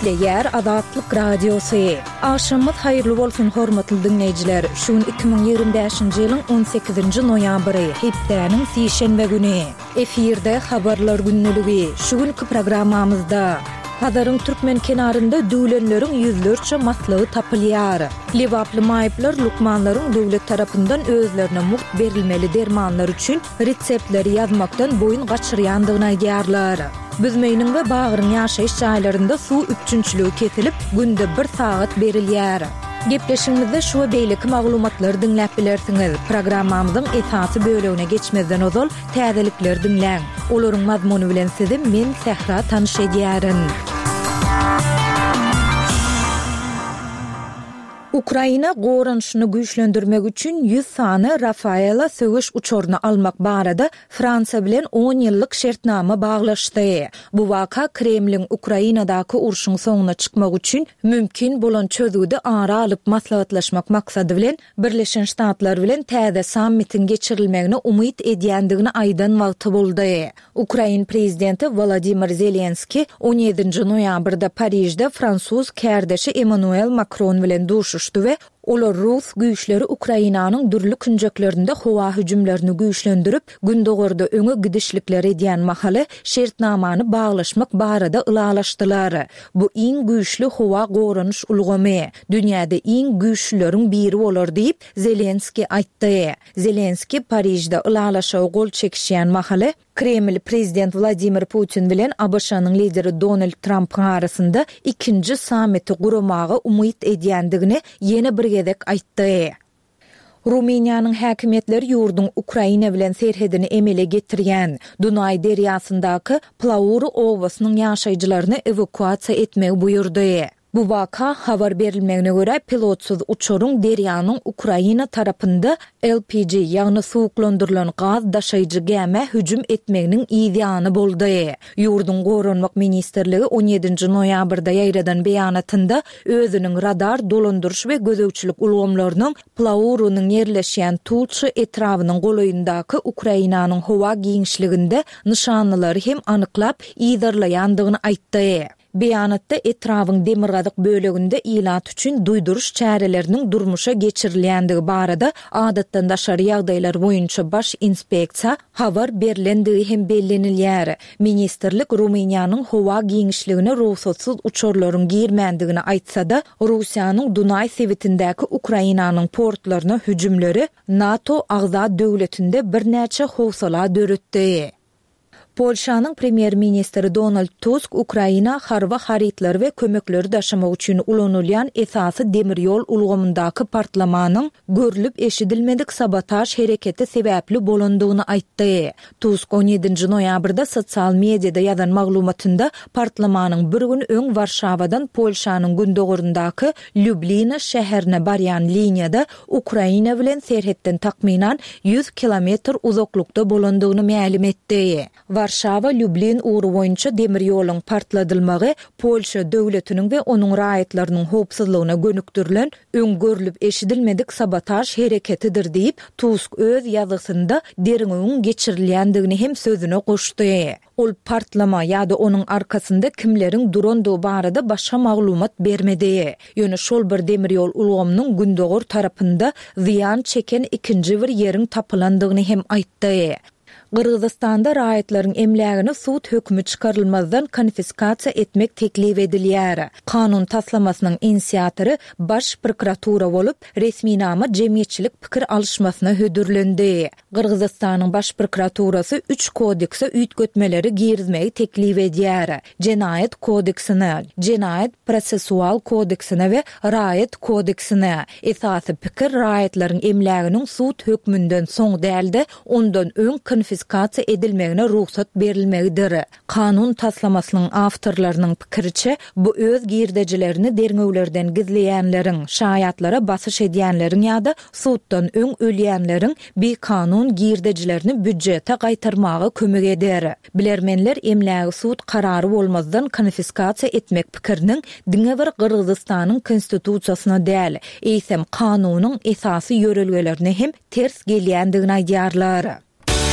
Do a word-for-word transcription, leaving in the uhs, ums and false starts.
Gepleýär Azatlyk Radiosy. Agşamyňyz haýyrly bolsun, hormatly diňleýjiler. Şu gün iki müň ýigrimi bäşinji ýylyň on sekizinji noýabry, hepdäniň sişenbe güni. Efirde Habarlar gündeligi. Şu günki programmamyzda Hazaryň türkmen kenarynda düwlenleriň ýüzlerçe maslygy tapylýar. Lebaply maýyplar lukmanlaryň döwlet tarapyndan özlerine mugt berilmeli dermanlar üçin reseptleri ýazmakdan boýun gaçyrýandygyny aýdýarlar. Büzmeýiniň we Bagryň ýaşaýyş jaýlarynda suw üpjünçiligi kesilip, günde bir sagat berilýär. Gepleşigimizde şu we beýleki maglumatlary diňläp bilersiňiz. Programmamyzyň esasy bölegine geçmezden ozal täzelikleri diňläň. Olaryň mazmuny bilen sizi men Sähra tanyş edýärin. Ukraina goranyşyny güýçlendirmek üçin ýüz sany Rafaela söweş uçaryny almak barada Fransiýa bilen on ýyllyk şertnama baglaşdy. Bu waka Kremliň Ukrainadaky urşuň soňuna çykmak üçin mümkin bolan çözgüdi ara alyp maslahatlaşmak maksady bilen Birleşen Ştatlar bilen täze sammitiň geçirilmegine umyt edýändigini aýdan wagty boldy. Ukrain prezidenti Wolodymyr Zelenskiý on ýedinji noýabrda Parižde fransuz kärdeşi Emmanuel Makron bilen duşuşdy we olar rus güýçleri Ukrainanyň dürli künjeklerinde howa hüjümlerini güýçlendirip, gündogarda öňe gidişlikler edýän mahaly şertnamany baglaşmak barada ylalaşdylar. Bu iň güýçli howa goranyş ulgamy, dünýäde iň güýçlüleriň biri bolar diýip, Zelenskiý aýtdy. Zelenskiý Parižde ylalaşyga gol çekişýän mahaly, Kreml prezident Wladimir Putin bilen A B Ş-nyň lideri Donald Trampyň arasynda ikinji sammiti guramaga umyt edýändigini ýene bir gezek aýtdy. Rumyniýanyň häkimiýetleri ýurduň Ukraina bilen serhedini emele getirýän Dunaý derýasyndaky Plauru obasynyň ýaşaýjylaryny ewakuasiýa etmegi buýurdy. Bu waka habar berilmegine görä pilotsyz uçaryň derýanyň Ukraina tarapynda L P G, ýagny suwuklandyrylan gaz daşaýjy gämä hüjüm etmeginiň yz ýany boldy. Ýurduň Goranmak ministrligi on ýedinji noýabrda ýaýradan beýanatynda özüniň radar dolandyryş we gözegçilik ulgamlarynyň Plaurunyň ýerleşýän Tulça etrabynyň golaýyndaky Ukrainanyň howa giňişliginde nyşanlylary hem anyklap yzarlaýandygyny aýtdy. Beýanatda etrabyň demirgazyk böleginde ilat üçin duýduryş çäreleriniň durmuşa geçirilýändigi barada adatdan daşary ýagdaýlar boýunça baş inspeksiýa habar berlendigi hem bellenilýär. Ministrlik Rumyniýanyň howa giňişligine rugsatsyz uçarlaryň girmändigini aýtsa-da, Russiýanyň Dunaý sebitindäki Ukrainanyň portlaryna hüjümleri NATO agza döwletinde birnäçe howsala döretdi. Polşanyň premýer-ministri Donald Tusk Ukraina harby harytlary we kömekleri daşamak üçin ulanylýan esasy demir ýol ulgamyndaky partlamanyň görlüp eşidilmedik sabotaž hereketi sebäpli bolandygyny aýtdy. Tusk on ýedinji noýabrda sosial mediada ýazan maglumatynda partlamanyň bir gün öň Warşawadan Polşanyň gündogaryndaky Lýublina şäherine barýan liniýada Ukraina bilen serhetden takmynan ýüz kilometr uzaklykda bolandygyny mälim etdi. Warşawa Lýublin ugry boýunça demir ýoluň partladylmagy Polşa döwletiniň we onuň raýatlarynyň howpsuzlygyna gönükdirilen öň görlüp eşidilmedik sabotaž hereketidir diýip, Tusk öz ýazgysynda derňewiň geçirilýändigini hem sözüne goşdy. Ol partlama ýa-da onuň arkasynda kimleriň durandygy barada başga maglumat bermedi. Ýöne şol bir demir ýol ulgamynyň gündogar tarapynda zyýan çeken ikinji bir ýeriň tapylandygyny hem aýtdy. Gyrgyzystanda raýatlaryň emlägini sud hökümi çykarylmazdan konfiskasiýa etmek teklip edilýär. Kanun taslamasynyň inisiatory baş prokuratura bolup, resminama jemgyýetçilik pikir alyşmasyna hödürlendi. Gyrgyzystanyň baş prokuraturasy üç kodekse üýtgetmeleri girizmegi teklip edýär. Jenaýat kodeksine, jenaýat prosessual kodeksine we raýat kodeksine. Esasy pikir raýatlaryň emläginiň sud hökmünden soň däl-de, ondan öň konfiskasiýa edilmegine rugsat berilmegidir. Kanun taslamasynyň awtorlarynyň pikiriçe, bu öz girdejilerini derňewlerden gizleýänleriň, şaýatlara basyş edýänleriň ýa-da suddan öň ölýänleriň bikanun girdejilerini býudžete gaýtarmaga kömek eder. Bilermenler emlägi sud karary bolmazdan konfiskasiýa etmek pikiriniň diňe bir Gyrgyzystanyň konstitusiýasyna däl, eýsem kanunyň esasy ýörelgelerine hem ters gelýändigini aýdýarlar.